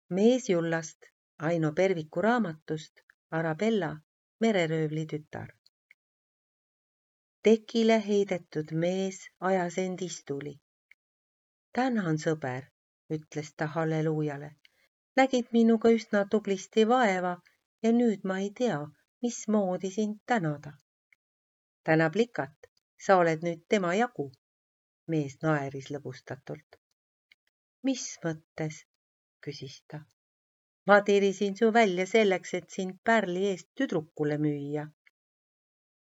Mees Jullast, Aino Perviku raamatust, Arabella, mereröövli tütar. Tekile heidetud mees ajas end istuli. Tänan, sõber, ütles ta halleluujale. Nägid minuga üsna tublisti vaeva ja nüüd ma ei tea, mismoodi sind tänada. Tänab likat, sa oled nüüd tema jagu. Mees naeris lõbustatult. Mis mõttes, küsis ta. Ma tirisin su välja selleks, et sind pärli eest tüdrukule müüa.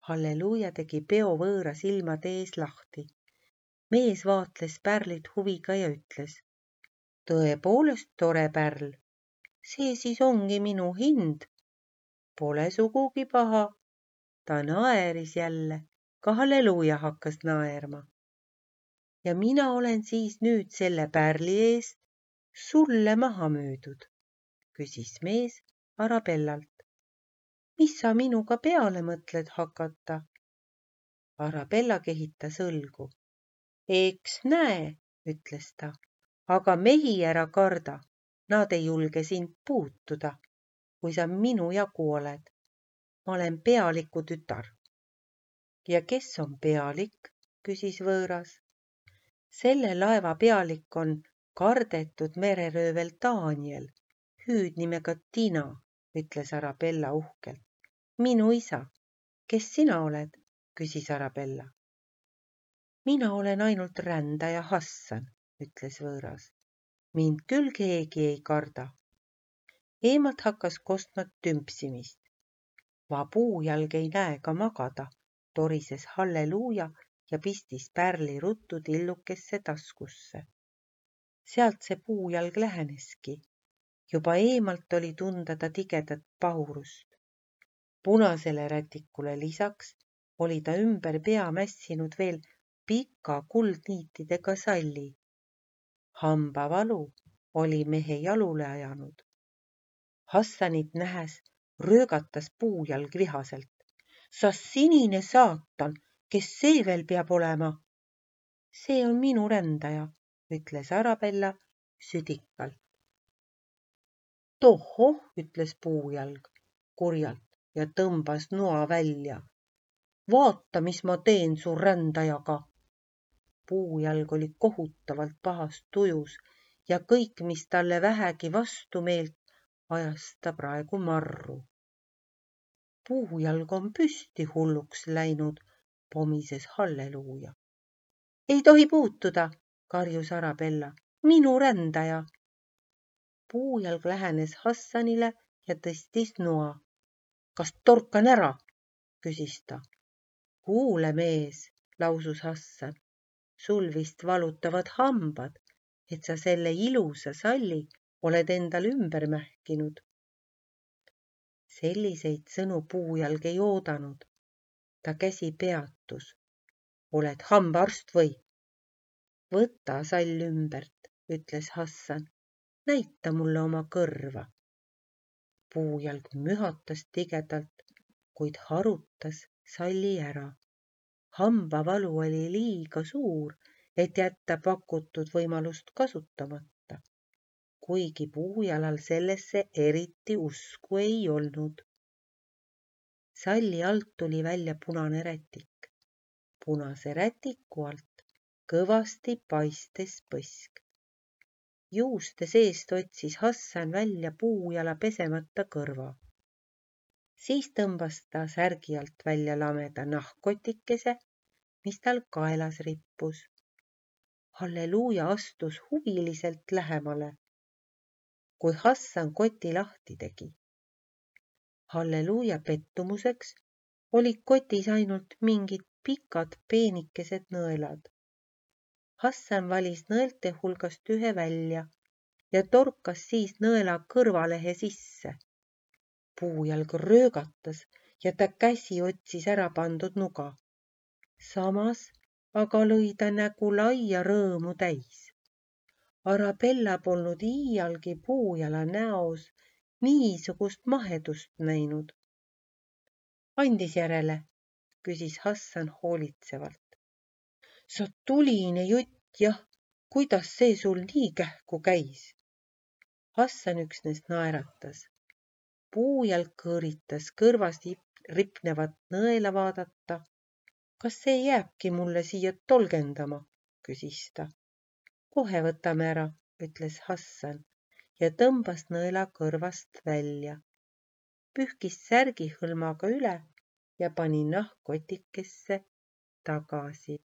Halleluuja tegi peo võõra silmade ees lahti. Mees vaatles pärlit huviga ja ütles. Tõepoolest tore pärl. See siis ongi minu hind. Pole sugugi paha. Ta naeris jälle, ka halleluuja hakkas naerma. Ja mina olen siis nüüd selle pärli eest sulle maha müüdud, küsis mees Arabellalt. Mis sa minuga peale mõtled hakata? Arabella kehitas õlgu. Eks näe, ütles ta, aga mehi ära karda, nad ei julge sind puutuda, kui sa minu jagu oled. Ma olen pealiku tütar. Ja kes on pealik, küsis võõras. Selle laeva pealik on kardetud mereröövel Daniel, hüüdnimega Tina, ütles Arabella uhkelt. Minu isa. Kes sina oled, küsis Arabella. Mina olen ainult rändaja Hassan, ütles võõras. Mind küll keegi ei karda. Eemalt hakkas kostma tümpsimist. Va puujalg ei näe ka magada, torises halleluuja ja pistis pärli ruttu tillukesse taskusse. Sealt see puujalg läheneski. Juba eemalt oli tunda ta tigedat pahurust. Punasele rätikule lisaks oli ta ümber pea mässinud veel pika kuldniitidega salli. Hambavalu oli mehe jalule ajanud. Hassanit nähes röögatas puujalg vihaselt. Sa sinine saatan, kes see veel peab olema? See on minu rändaja, ütles Arabella südikalt. Tohoh, ütles puujalg kurjalt ja tõmbas noa välja. Vaata, mis ma teen su rändajaga. Puujalg oli kohutavalt pahast tujus ja kõik, mis talle vähegi vastumeelt, ajas ta praegu marru. Puujalg on püsti hulluks läinud, pomises halleluuja. Ei tohi puutuda, karjus Arabella. Minu rändaja. Puujalg lähenes Hassanile ja tõstis noa. Kas torkan ära, küsis ta. Kuule mees, lausus Hassan. Sul vist valutavad hambad, et sa selle ilusa salli oled endal ümber mähkinud. Selliseid sõnu puujalg ei oodanud. Ta käsi peatus. Oled hambaarst või? Võta sall ümbert, ütles Hassan. Näita mulle oma kõrva. Puujalg mühatas tigedalt, kuid harutas salli ära. Hambavalu oli liiga suur, et jätta pakutud võimalust kasutamata, kuigi puujalal sellesse eriti usku ei olnud. Salli alt tuli välja punane rätik. Punase rätiku alt kõvasti paistes põsk. Juuste seest otsis Hassan välja puujala pesemata kõrva. Siis tõmbas ta särgi alt välja lameda nahkkotikese, mis tal kaelas rippus. Halleluuja astus huviliselt lähemale, kui Hassan koti lahti tegi. Halleluuja pettumuseks olid kotis ainult mingid pikad peenikesed nõelad. Hassan valis nõelte hulgast ühe välja ja torkas siis nõela kõrvalehe sisse. Puujalg röögatas ja ta käsi otsis ära pandud nuga. Samas aga lõi ta nägu laia rõõmu täis. Arabella polnud iialgi puujala näos niisugust mahedust näinud. Andis järele, küsis Hassan hoolitsevalt. Sa tuline jutt, jah, kuidas see sul nii kähku käis? Hassan üksnes naeratas. Puujälg kõõritas kõrvast ripnevat nõela vaadata. Kas see jääbki mulle siia tolgendama, küsis ta. Kohe võtame ära, ütles Hassan ja tõmbas nõela kõrvast välja. Pühkis särgi hõlmaga üle ja pani nahkkotikesse tagasi.